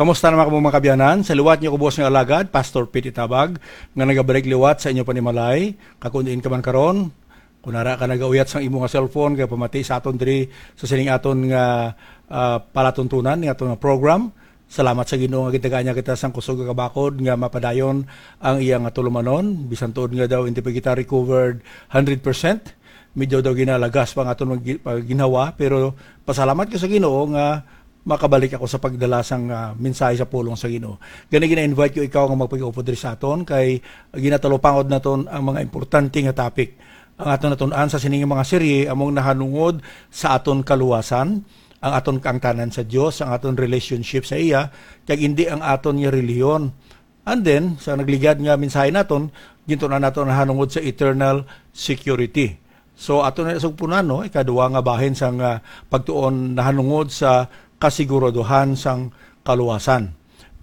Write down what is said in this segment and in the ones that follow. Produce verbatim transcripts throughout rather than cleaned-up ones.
Kamusta naman kamo, mga kabyanan? Sa liwat niyo, kubos nga alagad, Pastor Pete Tabag, nga nagabalik liwat sa inyo panimalay. Kag kung diin ka man karon, kung ara ka nagauyat sang imo nga cellphone, kay pamati sa aton diri sa sining aton nga, ah, palatuntunan, nga aton nga program. Salamat sa Ginoo nga gitagaan niya kita sang kusog nga kabakod nga mapadayon ang iya nga tulumanon, bisan tuod nga daw hindi pa kita recovered hundred percent. Medyo daw ginalagas pa ang aton mga gi-, pagginhawa, pero pasalamat ko sa Ginoo nga makabalik ako sa pagdala sang, ah, mensahe sa pulong sa Ginoo. Gani, gina-invite ko ikaw nga magpag-upod diri sa aton, kay ginatalupangod naton ang mga importante nga topic. Ang aton natun-an sa sining mga serye among nahanungod sa aton kaluwasan, ang aton kaangtanan sa Dios, ang aton relationship sa iya, kag indi ang aton nga relihiyon. And then, sa nagligad nga mensahe naton, gintun-an naton nahanungod sa eternal security. So, ato na sugpunan, no, ikaduha nga bahin sang, ah, pagtuon nahanungod sa kasiguraduhan sang kaluwasan.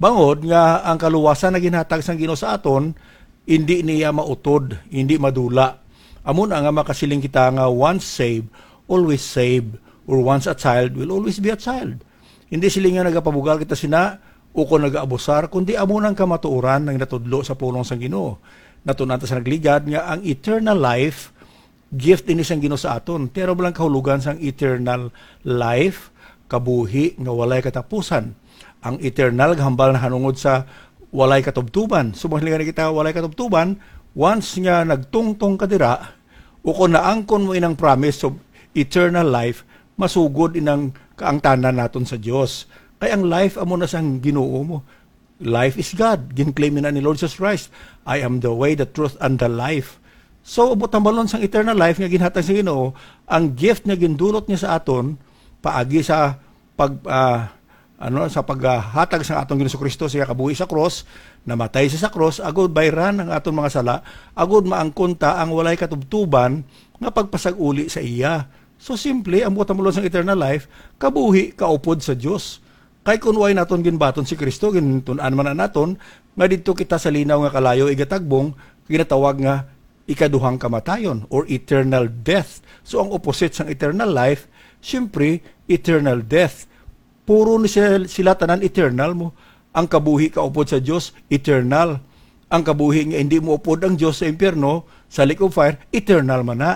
Bangod nga ang kaluwasan nga ginhatag sang Ginoo sa aton, indi niya mautod, indi madula. Amo na nga makasiling kita nga once saved, always saved, or once a child will always be a child. Hindi sila nga nagapabugal kita sina o kon nagaabusar, kundi amo nang kamatuoran nga ginatudlo sa pulong sang Ginoo. Natun-an ta sa nagligad nga ang eternal life, gift ini sang Ginoo sa aton. Pero lang kahulogan sang eternal life, kabuhi nga walay katapusan. Ang eternal gahambal nahanungod sa walay katubtuban. So, mga kita walay katubtuban, once nga nagtungtong ka dira, o kung naangkon mo inang promise of eternal life, masugod inang kaangtanan naton sa Dios. Kay ang life amo na sang Ginoo mo. Life is God. Gin-claim na ni Lord Jesus Christ, "I am the way, the truth, and the life." So, butambalon sang eternal life nga ginhatag sa Ginoo, ang gift nga gindulot niya sa aton paagi sa pag, ah, ano, sa paghatag sa aton Ginoong Kristo sa iya kabuhi sa krus, namatay siya sa krus, agud bayran ang aton mga sala, agud maangkon ta ang walay katubtuban nga pagpasag-uli sa iya. So, simple, ang butambalon sang eternal life, kabuhi kaupod sa Dios. Kay kun way naton ginbaton si Kristo, gintun-an man na naton nga didto kita sa linaw nga kalayo igatagbong, ginatawag nga ikaduhang kamatayon or eternal death. So, ang opposite sang eternal life, siyempre, eternal death. Puro ni sila, sila tanan eternal mo. Ang kabuhi kaupod sa Dios, eternal. Ang kabuhi nga hindi mo upod ang Dios sa impyerno, sa lake of fire, eternal man na.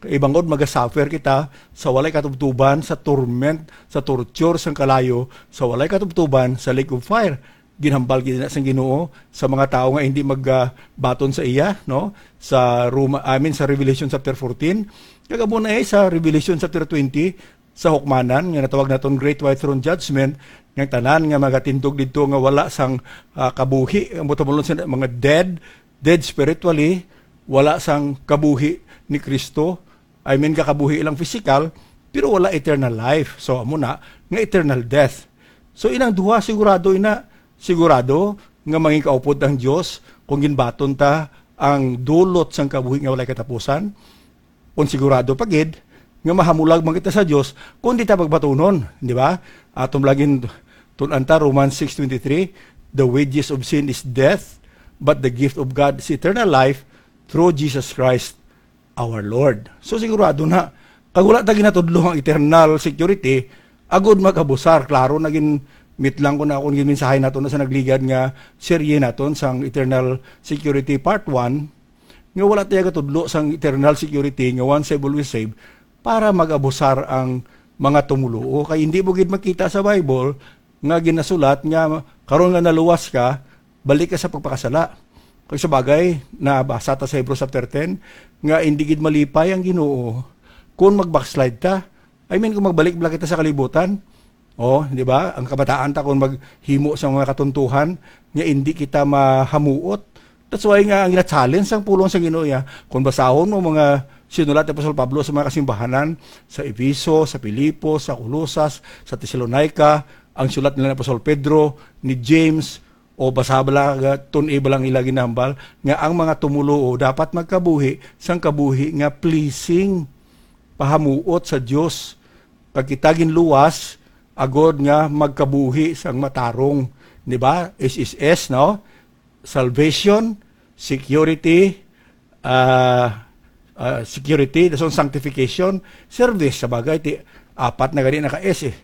Kay bangod magasuffer kita sa walay katubtuban, sa torment, sa torture, sang kalayo, sa walay katubtuban, sa lake of fire. Ginhambal gid na sang Ginoo sa mga tawo nga hindi magbaton sa iya, no? Sa Roma, I mean, sa Revelation chapter fourteen, kag amo na, eh, sa Revelation chapter twenty, sa hukmanan nga natawag naton Great White Throne Judgment, nga tanan nga magatindog didto nga wala sang, ah, kabuhi, ang butamulon sa mga dead, dead spiritually, wala sang kabuhi ni Kristo. I mean, kakabuhi lang physical, pero wala eternal life. So, amo na nga eternal death. So, inang duha, sigurado ina, sigurado nga mangikaupod ang Dios kung ginbaton ta ang dulot sang kabuhi nga walay katapusan. Kung sigurado pa gid nga mahamulag man kita sa Dios kung di ta pagbatunon, di ba? Aton lagin tun-an ta Romans six twenty-three, "The wages of sin is death, but the gift of God is eternal life through Jesus Christ our Lord." So, sigurado na, kag wala ta ginatudlo ang eternal security, agud mag-abusar. Klaro na gin-, mitlang ko na akong ginmensahe nato na sa nagligad nga serye naton sang Eternal Security Part one, nga wala tayo gatudlo sang eternal security nga once saved, always saved, para mag-abusar ang mga tumuluo. Kay hindi mo gid makita sa Bible nga ginasulat nga karon nga naluwas ka, balik ka sa pagpakasala. Kag sa bagay, nabasa ta sa Hebrews chapter ten, nga hindi gid malipay ang Ginoo kung mag-backslide ta. I mean, kung magbalik bala kita sa kalibutan, oh, di ba? Ang kabataan ta kung maghimo sa mga katuntuhan, nga hindi kita mahamuot. That's why nga ang gina-challenge sang pulong sa Ginoo, ya, kung basahon mo mga sinulat ni Apostol Pablo sa mga kasimbahanan, sa Efeso, sa Filipos, sa Colosas, sa Tesalonica, ang sulat nila ni Apostol Pedro, ni James, o basa bala, tun-i bala ang ila ginahambal, nga ang mga tumuluo dapat magkabuhi sang kabuhi nga pleasing, pahamuot sa Dios. Kag kita ginluwas, agod nga magkabuhi sang matarong, di ba? S S S, no? Salvation, security, ah, ah, security, dason sanctification, service, sa bagay, ti, apat na gani naka-S eh.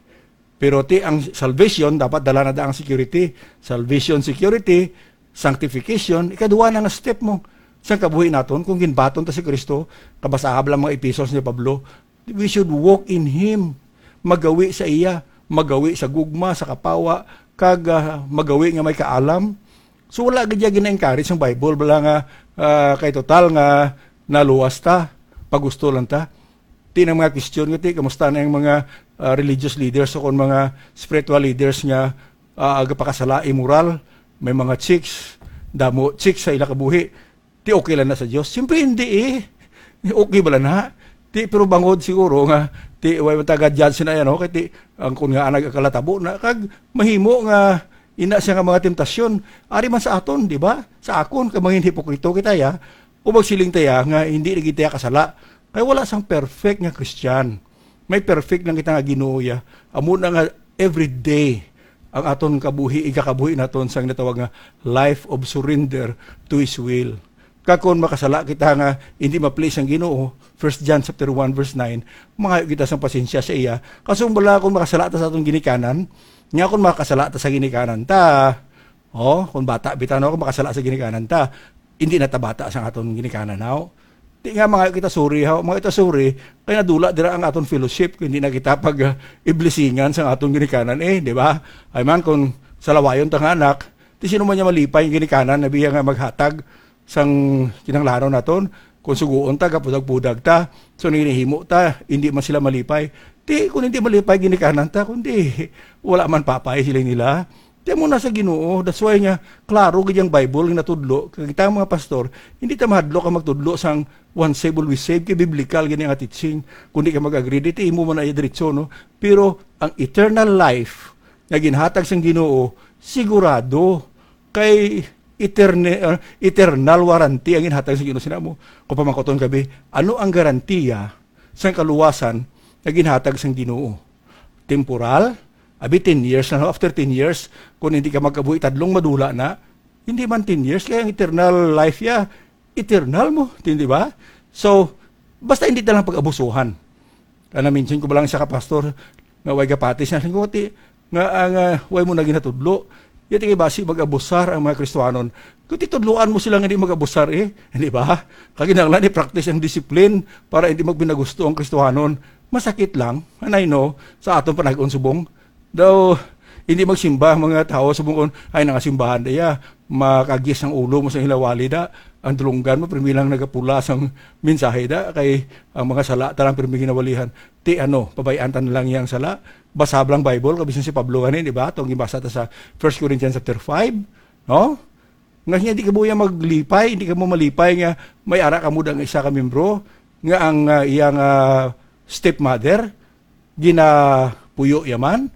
Pero ti ang salvation, dapat dala na da ang security. Salvation, security, sanctification, ikaduha na nga step mo. Sang kabuhi naton, kung ginbaton ta si Kristo, kabasahab lang mga epistle ni Pablo, we should walk in Him. Magawi sa iya, magawi sa gugma, sa kapawa, kag ah, magawi nga may kaalam. So wala gid gina-encourage ang Bible, bala nga ah, kay total nga naluwas ta, pagusto lang ta. Ti nang mga question nga ti, kamusta na ang mga ah, religious leaders o kon mga spiritual leaders nga ah, agapakasala, immoral, may mga chicks, damo chicks sa ila kabuhi. Ti okay lang na sa Dios? Siyempre hindi eh. Okay bala na? Ti pero bangod siguro nga ti way man taga judge na yan, okay? Ti ang kun nga anag akalatabo na kag mahimo nga ina siya nga mga temptasyon. Ari man sa aton, di ba? Sa akon, kay mangin hipokrito kita ya. O magsiling ta ya nga hindi na kita kasala. Kay wala sang perfect nga Christian. May perfect lang kita nga Ginoo ya. Amo na nga every day ang aton kabuhi, igakabuhi naton sang natawag nga life of surrender to His will. Kag kon makasala kita nga hindi ma-please ang Ginoo, First John chapter one verse nine, mangayo kita sang pasensya sa iya. Kaso bala kung makasala ta sa aton ginikanan, nga kung makasala ta sa ginikanan ta, oh, kung bata bitaw na kung makasala sa ginikanan ta, hindi na ta bata sa aton ginikanan, haw? Di nga mangayo kita sorry, haw? Mangayo kita sorry, kay nadula dira ang aton fellowship, kung hindi na kita pag ah, iblisingan sa aton ginikanan, eh, di ba? Ay man, kung salawayon ta nga anak, di sino man niya malipay ang ginikanan, nabiya nga maghatag sang kinahanglanon naton. Kung suguon ta, gapudag-pudag ta, so nginihimo ta, hindi man sila malipay. Ti, kung hindi malipay, ginikanan ta, kundi wala man papay sila nila. Ti mo na sa Ginoo, that's why nga, klaro gid ang Bible nga natudlo. Kag kita mga pastor, hindi ta mahadlok ang magtudlo sang once saved, always saved, kay biblical gini nga teaching. Kung di ka mag-agree, di ti imo man ay diretso, no? Pero ang eternal life nga ginhatag sang Ginoo, sigurado kay eterne-, ah, eternal warranty ang ginhatag sa Ginoo. Sina mo, kung pamangkuton ka, bi, ano ang garantiya sang kaluwasan nga ginhatag sang Ginoo? Temporal? Abi, ten years na, no? After ten years, kung hindi ka magkabuhi, tadlong madula na. Hindi man ten years, kaya ang eternal life ya, eternal mo, di ba? So, basta hindi ta lang pag-abusuhan. Kaya na-mention ko ba lang sa kapastor nga way gapati siya, nga, nga, ah, nga way mo na ginatudlo. Yati kay basi mag-abusar ang mga Kristiyanon. Kung titudloan mo sila nga di mag-abusar, eh, di ba? Kaginahanglan i-practice ang discipline para hindi magpinagusto ang Kristiyanon. Masakit lang, and I know, sa aton panag-on subong. Daw, hindi magsimba ang mga tawo subong kon, "Ay, nangasimbahan diya, makagis ang ulo mo sa hilawali da, ang dulunggan mo, pirmi lang nagapula sang mensahe da, kay ang mga sala ta lang pirmi ginawalihan." Ti ano, pabayaan ta na lang yang sala. Basa lang Bible, kabisan si Pablo gani, di ba? Itong gibasa ta sa First Corinthians chapter five, no? Nga niya, di ka buya maglipay, di ka mo malipay nga may ara ka mo dang isa ka membro, nga ang ah, iyang ah, stepmother, ginapuyo yaman,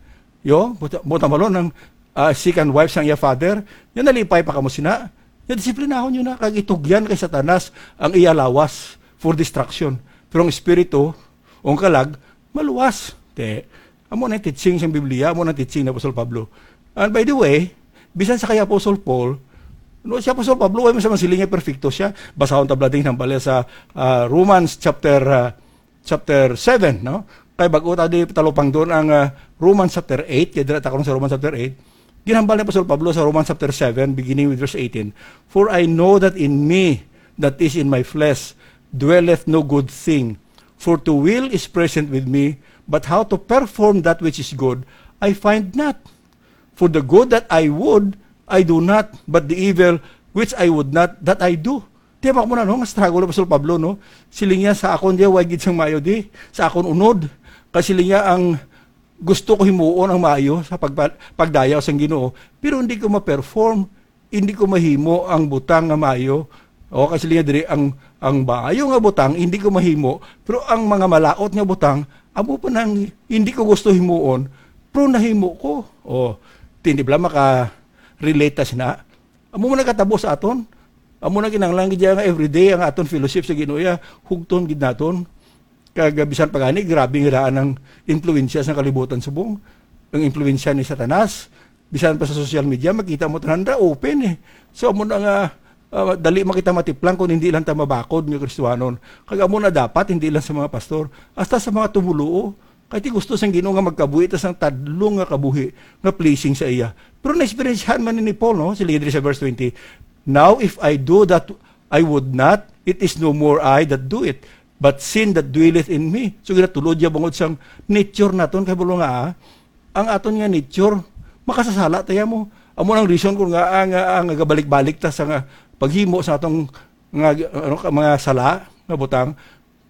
yo, buta, buta malon ang ah, second wife sang iya father, nga nalipay pa kamo sina, nga disiplinahon nyo na, kag itugyan kay Satanas ang iya lawas for destruction. Pero ang espiritu, o ang kalag, maluwas. Te, amo na yung teaching sa Biblia, amo na yung teaching ni Apostol Pablo. And by the way, bisan sa kay Apostol Paul, no, si Apostol Pablo, way mo sa man siling nga perfecto siya. Basahon ta bala din ang bala sa ah, Romans chapter ah, chapter seven, no? Kay bag-o ta di talupang doon ang ah, Romans chapter eight, kay dira ta karon sa Romans chapter eight. Ginhambal ni Apostol Pablo sa Romans chapter seven, beginning with verse eighteen. "For I know that in me, that is in my flesh, dwelleth no good thing. For to will is present with me, but how to perform that which is good, I find not. For the good that I would, I do not, but the evil which I would not, that I do." Di ba mo na, no? Nga struggle ni Apostol Pablo, no? Siling niya, "Sa akon diya, way gid sang maayo di. Sa akon unod." Kasi siling niya, "Ang gusto ko himuon ang maayo sa pagpa-, pagdayaw sang Ginoo, pero hindi ko ma-perform, hindi ko mahimo ang butang nga maayo." O, kasi siling niya diri, "Ang, ang maayo nga butang, hindi ko mahimo, pero ang mga malaot nga butang, amo pa nang hindi ko gusto himuon, pero nahimo ko." O, tindi bala maka-relate ta sina. Amo man nagkatabo sa aton. Amo na kinahanglan gid nga everyday ang aton fellowship sa Ginoo, ya, hugton gid naton. Kag, ah, bisan pa gani, grabe nga daan ang impluwensya sa kalibutan subong. Ang impluwensya ni Satanas, bisan pa sa social media, makita mo tanan ra open eh. So, amo na nga, ah, dali makita matiplang kung hindi lang ta mabakod nga Kristiyanon. Kag amo na dapat, hindi lang sa mga pastor, hasta sa mga tumuluo. Ay, ti gusto sang Ginoo nga magkabuhi ta sang tadlong nga kabuhi nga pleasing sa iya. Pero na-experiencehan man ni Paul, no? Siling diri sa verse twenty, "Now, if I do that I would not, it is no more I that do it, but sin that dwelleth in me." So, ginatulod niya bangod sang nature naton, kay bulo nga, ah, ang aton nga nature, makasasala tayo mo. Amo ang reason kung nga, ah, nga, ah, nga gabalik-balik ta sa nga paghimo sa atong nga, ano, ka-, mga sala nga butang.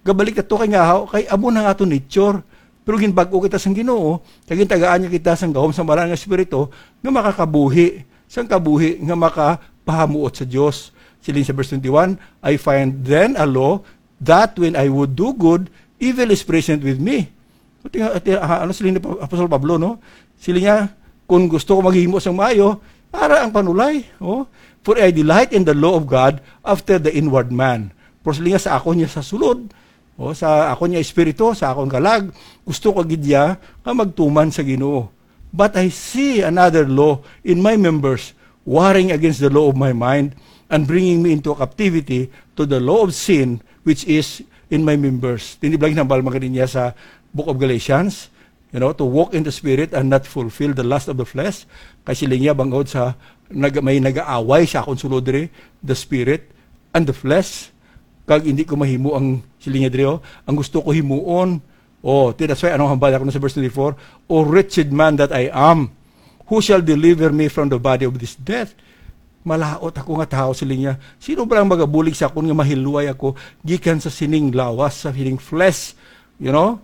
Gabalik ta to kay nga, kay amo na nga aton nature. Pero ginbag-o kita sang Ginoo, kay gintagaan niya kita sang gahom sang Banal nga Espiritu nga makakabuhi, sang kabuhi nga makapahamuot sa Dios. Siling sa verse twenty-one, "I find then a law that when I would do good, evil is present with me." Ati nga, ati, ah, ano siling ni Pa-, Apostol Pablo, no? Siling niya, "Kung gusto ko maghimo sang maayo, ara ang panulay." Oh. "For I delight in the law of God after the inward man." Pero siling niya, sa akon niya sa sulod, oh, sa akon niya espiritu, sa akon kalag, gusto ko gid niya nga magtuman sa Ginoo. "But I see another law in my members, warring against the law of my mind, and bringing me into captivity to the law of sin which is in my members." Tindi bala ginhambal man gani niya sa Book of Galatians, you know, "To walk in the Spirit and not fulfill the lust of the flesh." Kay siling niya, bangod sa nag-, may nag-aaway sa akon sulod diri, the Spirit and the flesh, kag hindi ko mahimo ang, siling niya diri, oh, ang gusto ko himuon. Oh, ti, that's why, anong hambal ako na sa verse twenty-four? "O wretched man that I am, who shall deliver me from the body of this death?" Malaut ako nga tawo, siling niya. Sino ba ang magabulig sa akon nga mahilway ako gikan sa sining lawas, sa sining flesh? You know?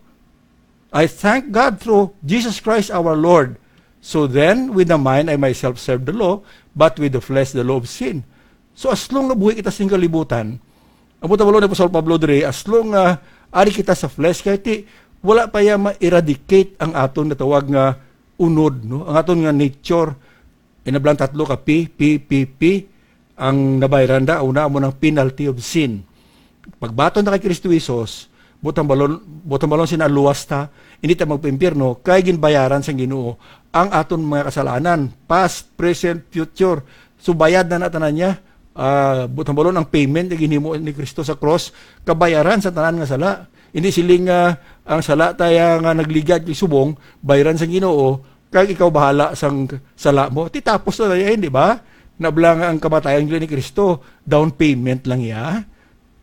"I thank God through Jesus Christ our Lord. So then, with the mind I myself serve the law, but with the flesh the law of sin." So, as long nga buhi kita sing kalibutan, ang buta ni Apostol Pablo diri, as long nga ari kita sa flesh, kay ti, wala pa ya ma-eradicate ang aton natawag nga unod, no? Ang aton nga nature, inablang tatlo ka P, P, P, P, ang nabayran da, una, amo nang penalty of sin. Pagbaton na kay Kristo Jesus, butang balon, butang balon sina luwas ta, hindi ta magpaimpyerno, kay ginbayaran sang Ginoo ang aton mga kasalanan, past, present, future. So, bayad na na tanan niya. Ah, butang balon ang payment nga ginhimo ni Kristo sa cross, kabayaran sa tanan nga sala. Hindi siling nga ang sala taya nga nagligad kay subong, bayran sang Ginoo, kag ikaw bahala sang sala mo. Ti tapos na tayo, di ba? Nabla nga ang kamatayan ni Kristo, down payment lang iya.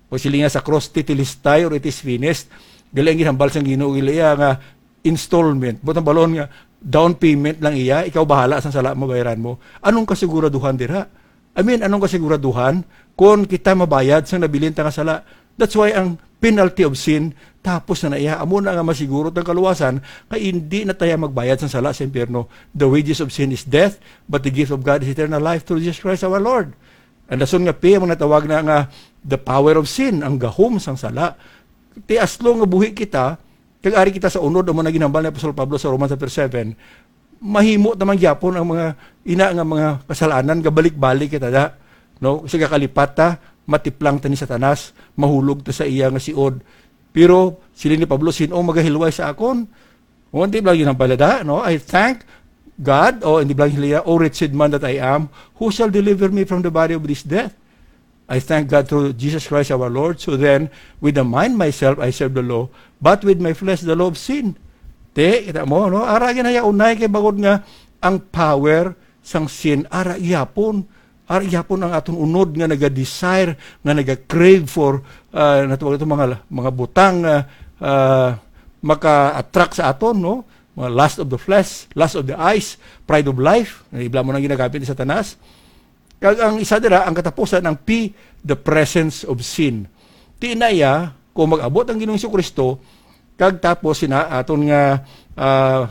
O siling nga sa cross, "Tetelestai," or "It is finished." Gali ang ginhambal sang Ginoo, gali iya nga installment. Butang balon nga, down payment lang iya, ikaw bahala sang sala mo, bayran mo. Anong kasiguraduhan dira? I mean, anong kasiguraduhan kung kita mabayad sang nabilin ta nga sala? That's why ang penalty of sin, tapos na na iya. Amo na nga masiguro tang kaluwasan, kay hindi na tayo magbayad sang sala sa impyerno. "The wages of sin is death, but the gift of God is eternal life through Jesus Christ our Lord." Ang rason nga P, ang natawag na nga the power of sin, ang gahom sang sala. Ti as long nga buhi kita, kag ari kita sa unod, amo na ginhambal ni Apostol Pablo sa Romans chapter seven, mahimo ta man gyapon ang mga ina nga mga kasalanan, gabalik-balik kita da, no? Sa gakalipat ta, matiplang ta ni Satanas, mahulog ta sa iya nga siod. Pero siling ni Pablo, "Sin-o magahilway sa akon?" O, hindi ba yun ang balada, no? "I thank God," o hindi ba yun, "O wretched man that I am, who shall deliver me from the body of this death?" "I thank God through Jesus Christ our Lord. So then, with the mind myself I serve the law, but with my flesh the law of sin." Te, kita mo, no? Ara ginayaunay kay bangod nga ang power sang sin, ara gyapon. Ara gyapon ang aton unod nga naga-desire, nga naga-crave for, ah, natawag ito mga, mga butang nga, ah, maka-attract sa aton, no? Mga lust of the flesh, lust of the eyes, pride of life. Ibla mo nang ginagamit ni Satanas. Kag ang isa dira, ang katapusan, ang P, the presence of sin. Ti na iya, kung mag-abot ang Ginoong Jesu-Cristo, kag tapos sina aton nga, ah,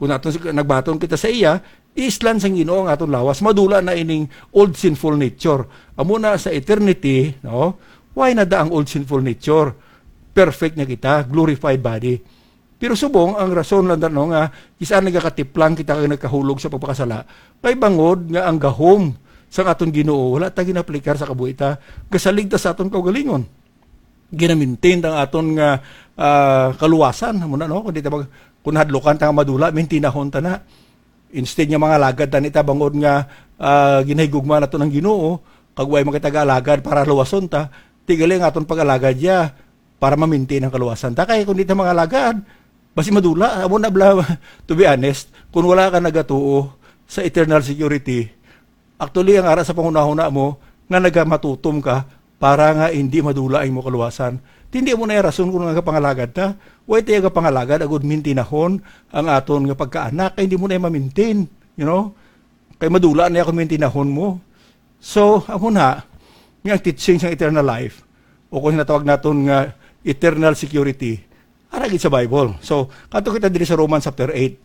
kung aton si-, nagbaton kita sa iya, islan sang Ginoo ang aton lawas, madula na ining old sinful nature. Amo na sa eternity, no? Why na da ang old sinful nature? Perfect na kita, glorified body. Pero subong, ang rason lang, no, nga kis-a nagakatiplang kita kag nagkahulog sa pagpakasala, kay bangod nga ang gahom sang aton Ginoo wala ta ginaplikar sa kabuhi ta, gasalig ta sa aton kaugalingon. Ginamintain ta ang aton nga, ah, kaluwasan, amo na, no? Kung di ta mag-, kung hadlukan ta nga madula, mintinahon ta na. Instead nga mga alagad ta ni ta, bangod nga, ah, ginahigugma nato ng Ginoo, kag way makita alagad para luwason ta, ti gali ang aton pag-alagad ya para maminti ang kaluwasan ta. Kay kung di ta mga alagad, Basi madula, amo na bala, to be honest, kung wala ka nagatuo sa eternal security, actually, ang ara sa panghunahuna mo, nga nagamatutom ka para nga hindi madula ang imo kaluwasan. Hindi mo na rason kung nagapangalagad ta. Why tayo gapangalagad, agud mintinahon ang aton nga pagkaanak, kay hindi mo na ma-maintain, you know? Kay madula na ako mintinahon mo. So, amo na, nga ang teaching sa eternal life, o kung natawag naton nga eternal security, ara gid sa Bible. So, kadto kita diri sa Romans chapter eight,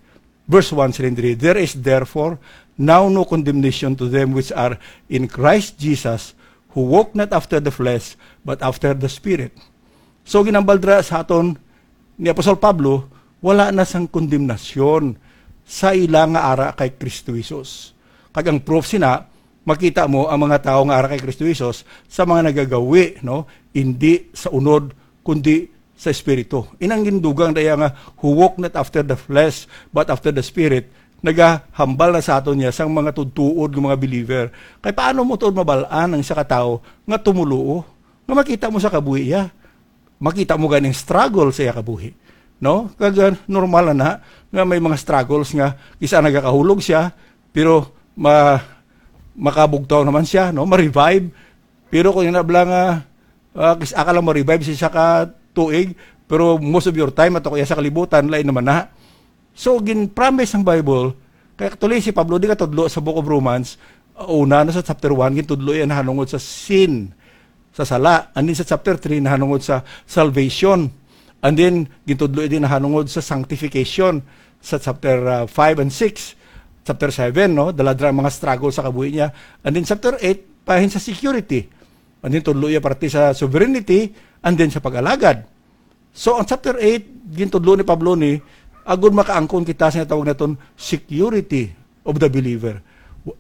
verse one, siling diri, "There is therefore now no condemnation to them which are in Christ Jesus, who walk not after the flesh, but after the Spirit." So, ginambal dira sa aton ni Apostol Pablo, wala na sang kondemnasyon sa ila nga ara kay Kristo Jesus. Kag ang proof sina, makita mo ang mga tawo nga ara kay Kristo Jesus sa mga nagagawi, no? Hindi sa unod, kundi sa Espiritu. Inang gindugang daya nga, "Who walk not after the flesh, but after the Spirit," nagahambal na sa aton niya sang mga tudtuod nga mga believer. Kay paano mo tuod mabal-an ang isa ka tawo nga tumuluo? Nga makita mo sa kabuhi iya. Makita mo ganing struggle sa iya kabuhi. No? Kag, ah, normal na, na nga may mga struggles nga isa nagakahulog siya, pero ma-, makabugtaw naman siya, no? Ma-revive. Pero kung ina bala nga, ah, kis-, aka lang ma-revive sa isa ka tuig, pero most of your time, ato kaya sa kalibutan, lain naman na. So, gin-promise ang Bible, kay actually si Pablo di katudlo sa Book of Romans, uh, una na sa chapter one, gintudlo iya nahanungod sa sin, sa sala. And then sa chapter three, nahanungod sa salvation. And then, gintudlo iya din nahanungod sa sanctification sa chapter, uh, five and six. Chapter seven, no? Dala dira ang mga struggle sa kabuhi niya. And then chapter eight, pahin sa security. And then tudlo iya parte sa sovereignty, and then sa pag-alagad. So, ang chapter eight, gintudlo ni Pablo ni, agud makaangkon kita sa tawag naton security of the believer.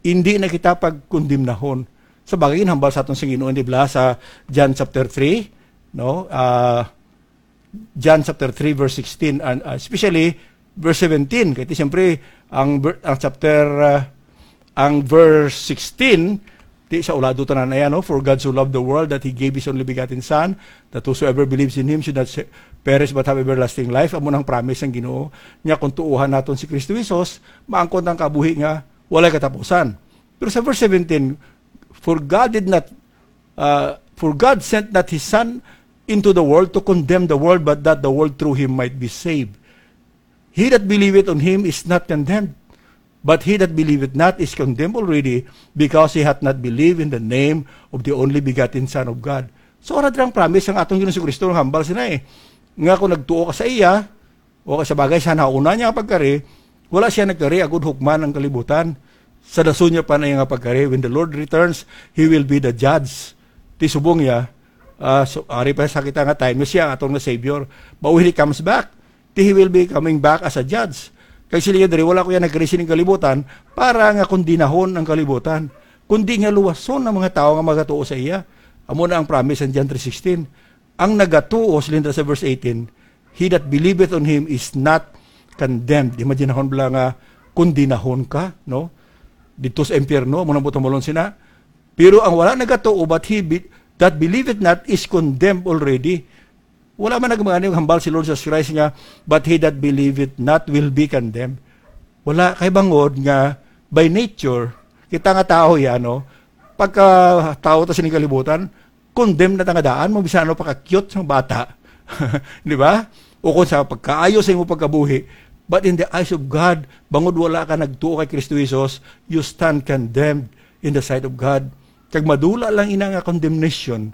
Hindi na kita pagkondemnahon. Sa bagay, ginhambal sa aton sa Ginoo, di ba, sa John chapter three, no? Ah, John chapter three, verse sixteen, and, ah, especially verse seventeen. Kaya, siyempre, ang ver-, ang chapter, ah, ang verse sixteen, di sa ulado tanan na yan, no? "For God so loved the world that He gave His only begotten Son, that whosoever believes in Him should not se-, perish but have everlasting life." Amo nang promise ng Ginoo. Nya kung tuuhan naton si Kristo Jesus, maangkon ang kabuhi nga walay katapusan. Pero sa verse seventeen, "For God did not, uh, for God sent not His Son into the world to condemn the world, but that the world through Him might be saved." "He that believeth on Him is not condemned, but he that believeth not is condemned already, because he hath not believed in the name of the only begotten Son of God." So, ara dira ang promise ang aton Ginoong Kristo nga hambal sina, eh, nga kung nagtuo ka sa iya, o sa bagay sa nauna niya nga pagkari, wala siya nagkari agud hukman ang kalibutan. Sa dason niya pa na iya nga pagkari, when the Lord returns, He will be the judge. Ti subong niya, ah, so, ari pa sa kita nga time, siya ang aton nga Savior. But when He comes back, ti He will be coming back as a judge. Kay sila diri, wala ko yan nagkari sining kalibutan para nga kondinahon ang kalibutan, kundi nga luwason ang mga tawo nga magatuo sa iya. Amo na ang promise sa John three sixteen. Ang nagatuo, siling sa verse eighteen, "He that believeth on Him is not condemned." Imaginahon bala nga kondinahon ka, no? Dito sa impyerno, amo nang buot hamulon sina. Pero ang wala nagatuo, but he be-, that believeth not is condemned already. Wala man nagmangani hambal si Lord Jesus Christ nga, "But he that believeth not will be condemned." Wala, kay bangod nga by nature, kita nga tawo ya, no? Pagka tawo ta sining kalibutan, condemn na ta nga daan mo, bisan ano pa ka-cute sang bata. Di ba? O kung sa pagkaayo sa imo pagkabuhi. But in the eyes of God, bangod wala ka nagtuo kay Kristo Jesus, you stand condemned in the sight of God. Kag madula lang ina nga condemnation,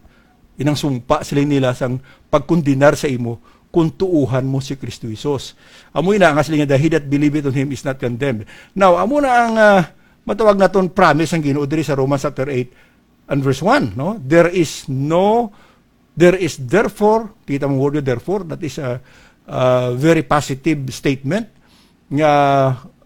inang sumpa sila nila sang pagkondenar sa imo kung tuuhan mo si Kristo Jesus. Amo ina nga sila nga, "He that believeth on Him is not condemned." Now, amo na ang, ah, matawag naton promise ang Ginoo diri sa Romans chapter eight and verse one, no? There is no, there is therefore, kita mo word therefore, that is a, a very positive statement nga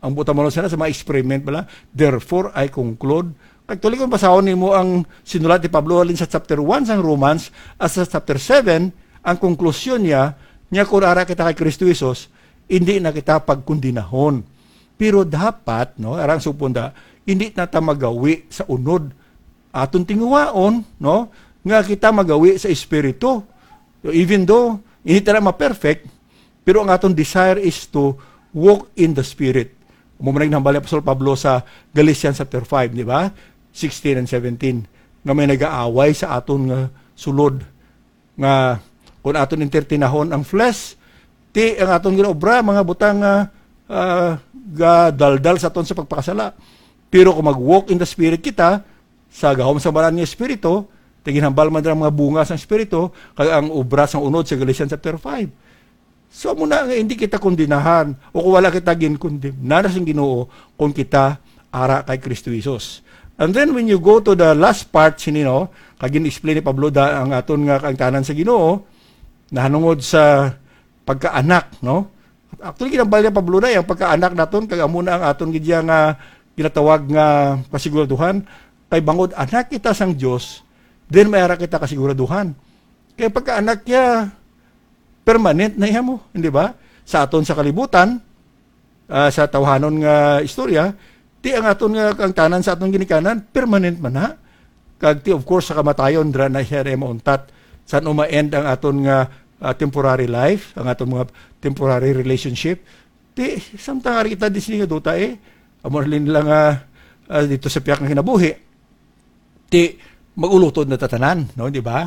ang buot hamulon sana sa mga experiment bala, "Therefore, I conclude." Actually, kung basahon nimo ang sinulat ni Pablo halin sa chapter one sang Romans at sa chapter seven, ang konklusyon niya, niya kung ara kita kay Kristo Jesus, hindi na kita pagkondinahon. Pero dapat, no, arang supon da, hindi na ta magawi sa unod. Aton tinguhaon, no, nga kita magawi sa Espiritu. So, even though, hindi ta na ma-perfect, Pero ang aton desire is to walk in the Spirit. Amo man ang ginhambal ni Apostol Pablo sa Galatians chapter five, di ba? Sixteen and seventeen, nga may nagaaway sa aton nga sulod, nga kung aton entertainahon ang flesh, ti ang aton ginaobra, mga butang nga, ah, gadaldal sa aton sa pagpakasala. Pero kung mag-walk in the Spirit kita, sa gahom sa Balaan nga Espiritu, ti ginhambal man dira ang mga bunga sang Espiritu, kag ang obra sang unod sa Galatians chapter five. So, amo na nga hindi kita kondenahan o kung wala kita ginkondemnar sang Ginoo kung kita ara kay Kristo Jesus. And then when you go to the last part sini, no, kag gin-explain ni Pablo da ang aton nga kaangtanan sa Ginoo, nahanungod sa pagkaanak, no? Actually, ginambal ni Pablo na ang pagkaanak naton, kag amo na ang aton gid nga ginatawag nga kasiguraduhan. Kay bangod anak kita sang Dios, then may ara kita kasiguraduhan. Kay pagkaanak niya, permanent na iya mo, hindi ba? Sa aton sa kalibutan, ah, sa tawhanon nga istorya, ti ang aton nga kaangtanan sa aton ginikanan, permanent man na. Kag ti, of course, sa kamatayon, dira na siya rin mauntat. San uma-end ang aton nga, ah, temporary life, ang aton mga temporary relationship. Ti, samtang ari kita di sini nga duta eh. Amo rin lang, ah, ah, dito sa piyak nga kinabuhi. Ti, mag-ulutod na tatanan, no, di ba?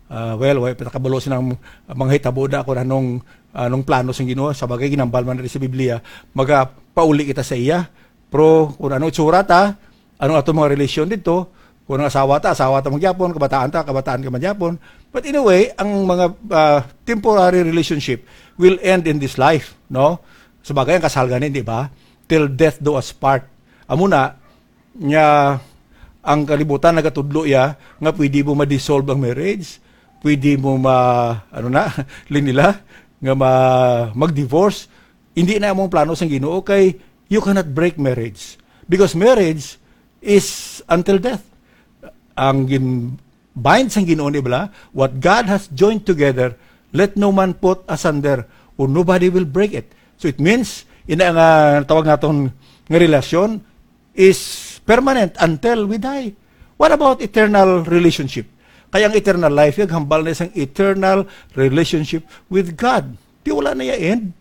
Ah, well, way pa kabalo sinang mga hitabo na kung anong, anong plano sang Ginoo. Sa bagay, ginambal man rin sa Biblia, magapauli kita sa iya. Pero kung anong itsura ta, anong ato mga relasyon dito, kung ang asawa ta, asawa ta magyapon, kabataan ta, kabataan ka magyapon. But in a way, ang mga, ah, temporary relationship will end in this life, no? Sa bagay, ang kasal ganin, di ba? Till death do us part. Amo na, nga ang kalibutan nagatudlo ya nga pwede mo ma-dissolve ang marriage, pwede mo ma, ano na, linila, nga ma, mag-divorce. Hindi na among plano sang Ginoo kay you cannot break marriage. Because marriage is until death. Ang gin, bind sang Ginoo ni bala, "What God has joined together, let no man put asunder, or nobody will break it." So it means, ina nga tawag naton nga relasyon is permanent until we die. What about eternal relationship? Kaya ang eternal life, yung hambal na isang eternal relationship with God. Di wala na iya end.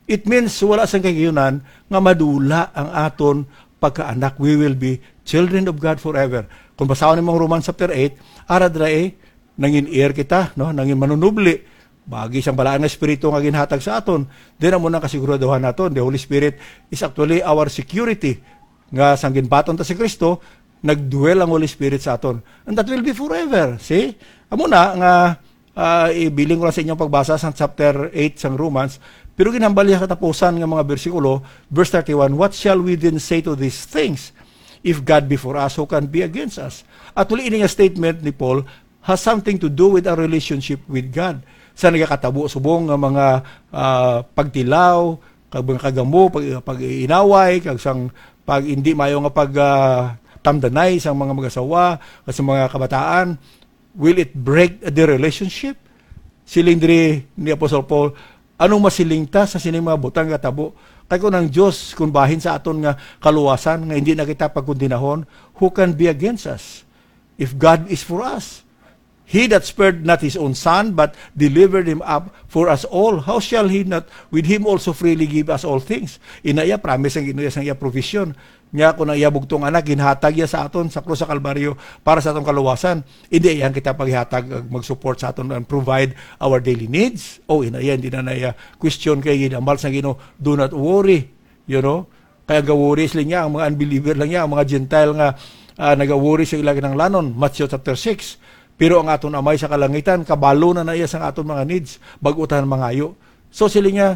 It means wala sang kagiyunan nga madula ang aton pagkaanak. We will be children of God forever. Kung basahon nimo ang Romans chapter eight, ara dira eh, nangin heir kita, no? Nangin manunubli. Bagi sang balaan nga espiritu nga ginhatag sa aton. Then amo nang kasiguraduhan naton. The Holy Spirit is actually our security. Nga sang ginbaton ta si Kristo, nagdwell ang Holy Spirit sa aton. And that will be forever. See? Amo na nga, ah, ibilin ko lang sa inyong pagbasa sa chapter eight sang Romans, pero ginhambal niya katapusan nga mga bersikulo, verse thirty-one, "What shall we then say to these things? If God be for us, who can be against us?" Actually, ini nga statement ni Paul has something to do with our relationship with God. Sa nagakatabo subong nga mga, ah, pagtilaw, kag mga kagamo, pag, pag-inaway, kag sang pag hindi mayo nga pag, ah, tamdanay sang mga mag-asawa, kag sa mga kabataan, will it break the relationship? Siling diri ni Apostle Paul, "Anong masiling ta sa sining mga butang nga tabo? Kay kung ang Dios, kung bahin sa aton nga kaluwasan, nga hindi na kita pagkundinahon, who can be against us? If God is for us, He that spared not his own son, but delivered him up for us all, how shall he not with him also freely give us all things?" Ina iya, promise ang Ginoo sang iya provision. Nya, kung ang iya bugtong anak, ginhatag iya sa aton sa krus sa Kalbaryo para sa atong kaluwasan, hindi iya kita paghatag, mag-support sa aton and provide our daily needs. O, ina iya, hindi na na iya question kay ginambal sang Ginoo, "Do not worry." You know? Kaya gawori sila niya, ang mga unbeliever lang niya, ang mga Gentile nga, ah, nagawori sa ila kinahanglanon, Matthew chapter six. Pero ang aton Amay sa kalangitan, kabalo na na iya sa aton mga needs, bag-o ta mangayo. So, sila niya,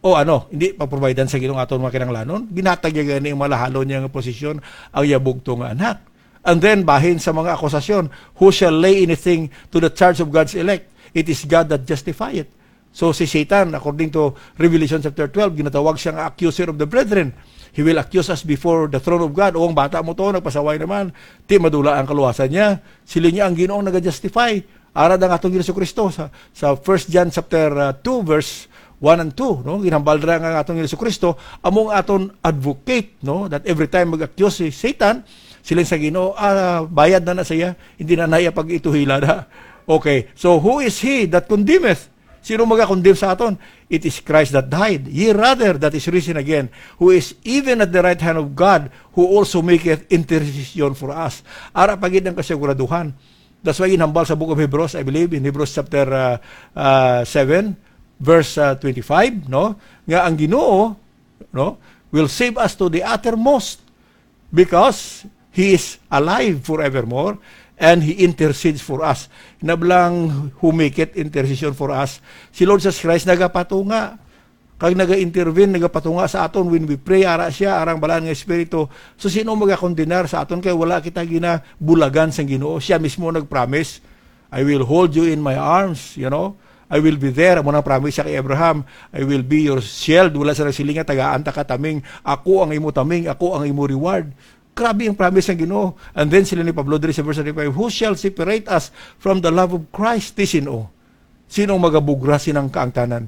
"O ano, hindi pagprovidean sa Ginoo aton mga kinahanglanon?" Ginatag niya gani ang malahalon niya nga posisyon, ang iya bugtong nga anak. And then, bahin sa mga akusasyon, "Who shall lay anything to the charge of God's elect? It is God that justifieth." So, si Satan, according to Revelation chapter twelve, ginatawag siya nga accuser of the brethren. He will accuse us before the throne of God. "O, ang bata mo to, nagpasaway naman. Ti madula ang kaluwasan niya." Sila niya ang Ginoong naga-justify. Ara ang atong Ginoong Kristo sa, sa First John chapter, uh, two, verse one and two, no? Ginhambal ra nga ang atong Ginoong Kristo amo ang aton advocate, no? That every time mag-accuse si Satan, siling sa Ginoo, "Ah, bayad na na siya, hindi na na iya pag-ituhila na." Okay, so who is he that condemneth? Sino maga-condemn sa aton? It is Christ that died, yea, rather, that is risen again, who is even at the right hand of God, who also maketh intercession for us. Ara pa gid ang kasiguraduhan. That's why ginhambal sa Book of Hebrews, I believe, in Hebrews chapter, uh, uh, seven, verse, uh, twenty-five, no? Nga ang Ginoo, no, will save us to the uttermost because He is alive forevermore and He intercedes for us. Nablang humikit intercession for us. Si Lord Jesus Christ nagapatunga kag naga-intervene, nagapatunga sa aton when we pray, ara siya, arang balaan nga Espiritu. So, sino magakondenar sa aton kay wala kita ginabulagan sang Ginoo? Siya mismo nag-promise, "I will hold you in my arms," you know? "I will be there." Amo nang promise siya kay Abraham, "I will be your shield." Wala sa nagsiling nga, "Tagaan ta ka taming. Ako ang imo taming, ako ang imo reward." Grabe ang promise ng Ginoo. And then sila ni Pablo diri sa verse thirty-five, "Who shall separate us from the love of Christ?" Ti sino? Sino ang magabugras sinang kaangtanan?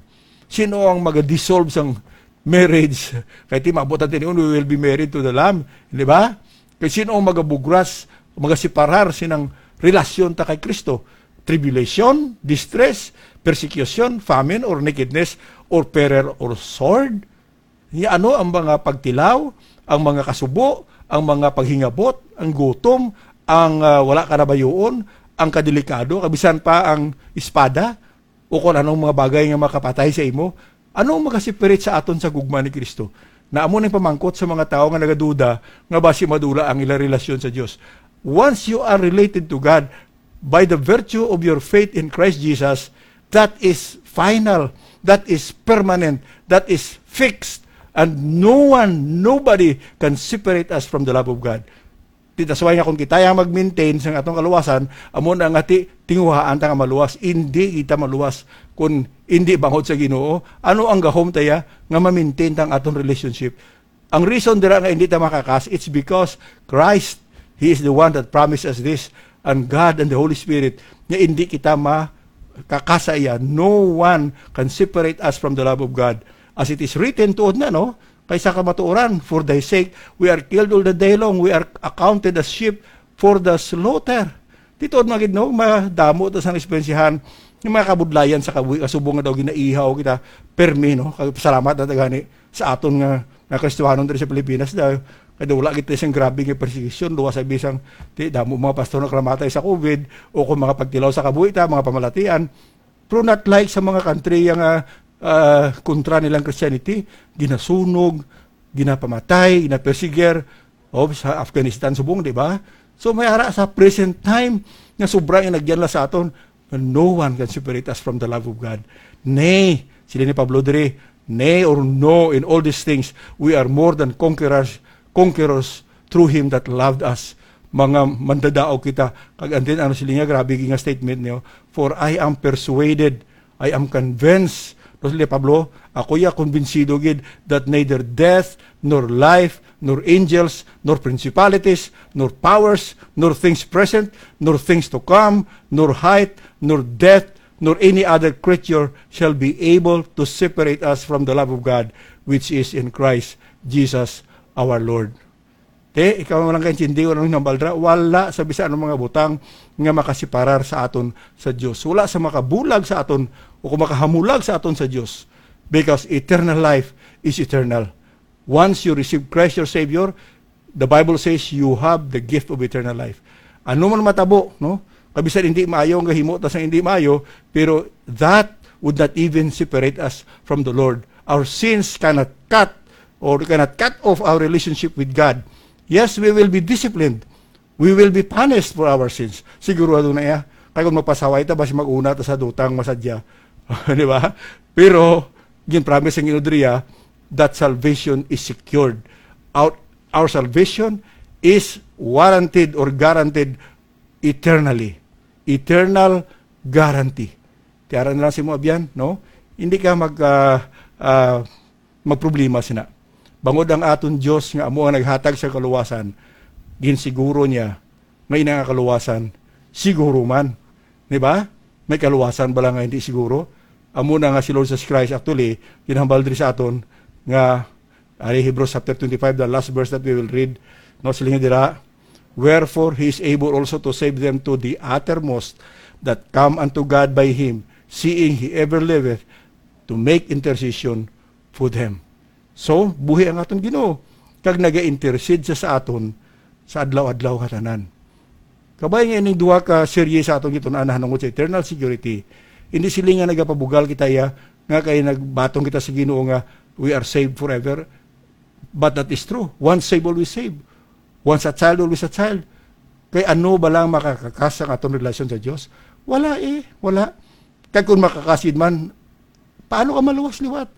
Sino ang magadissolve sang marriage? Kay ti maabot natin yun, we will be married to the Lamb. Di ba? Kay sino ang magabugras, magaseparar sinang relasyon ta kay Kristo? Tribulation, distress, persecution, famine, or nakedness, or peril, or sword? Nya ano ang mga pagtilaw, ang mga kasubo, ang mga paghingabot, ang gutom, ang, ah, wala ka nabayuon, ang kadelikado, kabisan pa ang espada, o kung anong mga bagay nga makapatay sa imo? Ano ang makaseparate sa aton sa gugma ni Kristo? Na amo ning pamangkot sa mga tawo nga nagaduda nga basi madula ang ilang relasyon sa Dios. Once you are related to God, by the virtue of your faith in Christ Jesus, that is final, that is permanent, that is fixed, and no one, nobody can separate us from the love of God. Ti, that's why nga kung kita ang mag-maintain sa atong kaluwasan, amo na nga ti, tinguhaan ta nga maluwas. Hindi kita maluwas kung hindi bangod sa Ginoo. Ano ang gahom ta ya nga ma-maintain ta ang atong relationship? Ang reason dira nga hindi ta makakas, it's because Christ, He is the one that promised us this, and God and the Holy Spirit, nga hindi kita makakasa iya. No one can separate us from the love of God. As it is written, tuod na, no? Kay sa kamatuoran, "For thy sake, we are killed all the day long. We are accounted as sheep for the slaughter." Ti tuod man gid, no, madamo ta sang eksperyensyahan yung mga kabudlayan sa kabuhi, kasubong nga daw ginaihaw kita permi, no? Kay salamat na ta gani sa aton nga, nga Kristiyanon diri sa Pilipinas, dahil kay wala kita sang grabe nga persecution, luwas sa bisang ti damo mga pastor nakamatay sa COVID o kung mga pagtilaw sa kabuhi ta, mga pamalatian. Pero not like sa mga country nga, ah, kontra nilang Christianity, ginasunog, ginapamatay, ginapersigir, o sa Afghanistan subong, di ba? So may ara sa present time nga sobra nga nagyanlas sa aton, and no one can separate us from the love of God. Nay, sila ni Pablo diri, "Nay or no, in all these things, we are more than conquerors, conquerors through Him that loved us." Mga mandadaog kita. Kag and then, ano sila nga, grabe nga statement niyo, "For I am persuaded, I am convinced." No, sila ni Pablo, "Ako ya kumbinsido gid that neither death, nor life, nor angels, nor principalities, nor powers, nor things present, nor things to come, nor height, nor depth, nor any other creature shall be able to separate us from the love of God which is in Christ Jesus our Lord." Te, ikaw mo lang kaintindi, wala nang nambaldra, wala sa bisan anong mga butang nga makasiparar sa aton sa Dios. Wala sa makabulag sa aton o kung makahamulag sa aton sa Dios. Because eternal life is eternal. Once you receive Christ your Savior, the Bible says you have the gift of eternal life. Ano man matabo, no? Kabisan hindi maayo ang gahimo ta sa hindi maayo, pero that would not even separate us from the Lord. Our sins cannot cut or cannot cut off our relationship with God. Yes, we will be disciplined. We will be punished for our sins. Sigurado na iya. Kaya kung mapasaway ta, basi mag-una ta sa dutang masadya. Di ba? Pero, gin-promise ang Ginoo diriya that salvation is secured. Our, our salvation is warranted or guaranteed eternally. Eternal guarantee. Tiara na lang si mo, abyan, no? Hindi ka mag, ah, ah, magproblema sina. Bangod ang aton Dios nga amo ang naghatag sa kaluwasan, ginsiguro niya nga ina nga kaluwasan siguro man. Di ba? May kaluwasan bala nga hindi siguro? Amo na nga si Lord Jesus Christ, actually, ginhambal diri sa aton nga, ari, Hebrews chapter twenty-five, the last verse that we will read, no, siling dira, "Wherefore he is able also to save them to the uttermost that come unto God by him." seeing he ever liveth to make intercession for them. So, buhi ang aton Ginoo, kag naga-intercede siya sa aton sa adlaw-adlaw nga tanan. Kabay nga ining duha ka serye sa aton gitun-an nahanungod sa eternal security, hindi sila nga nagapabugal kita iya nga kay nagbatong kita sa Ginoo nga we are saved forever. But that is true. Once saved, always saved. Once a child, always a child. Kay ano ba lang makakakas ang aton relasyon sa Dios? Wala eh, wala. Kag kung makakasid man, paano ka maluwas liwat?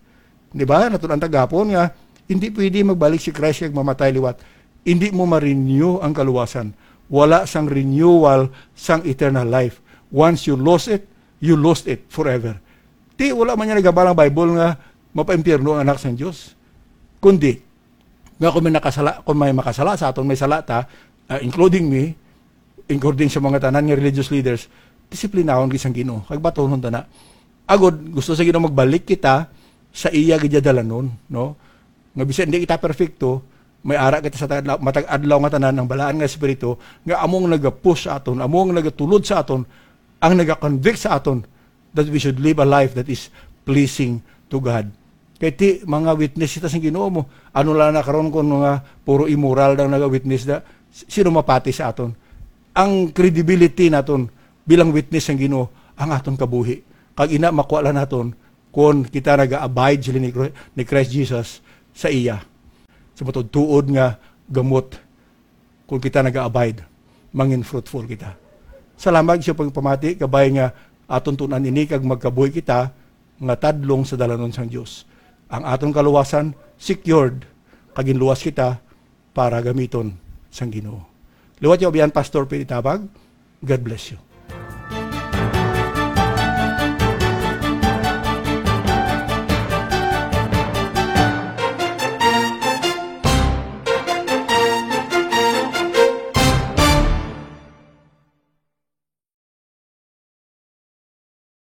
Di ba? Natun-an ta gapon nga hindi pwede magbalik si Christ kag mamatay liwat. Hindi mo ma-renew ang kaluwasan. Wala sang renewal sang eternal life. Once you lost it, you lost it forever. Ti, wala man niya nagabal ang Bible nga mapaimpyerno ang anak sang Dios. Kundi, nga kung may nakasala, kung may makasala sa aton, may sala ta, ah, including me, including sa mga tanan nga religious leaders, disiplinahon gid sang Ginoo, kag batunon ta na. Agod, gusto sa Ginoo magbalik kita sa iya gid dalanon, no? Nga bisan hindi kita perfecto, may ara kita sa tag-, matag adlaw nga tanan ang balaan nga espiritu nga among nagapush sa aton, among nagatulod sa aton, ang nagakonvict sa aton that we should live a life that is pleasing to God. Kay ti, mga witness kita sa Ginoo mo. Ano lang na karon kung mga puro immoral ang naga-witness na, sino mapati sa aton? Ang credibility naton bilang witness sang Ginoo, ang aton kabuhi. Kag ina, makuha lang naton kung kita naga-abide sila ni Cro-, ni Christ Jesus sa iya. Sa matuod-tuod nga gamot, kung kita naga-abide, mangin fruitful kita. Salamat sa pagpamati, kabay nga aton tun-an ini kag magkabuhi kita nga tadlong sa dalanon sang Dios. Ang aton kaluwasan secured, kag ginluwas kita para gamiton sang Ginoo. Liwat yung abiyan, Pastor Pete Tabag. God bless you.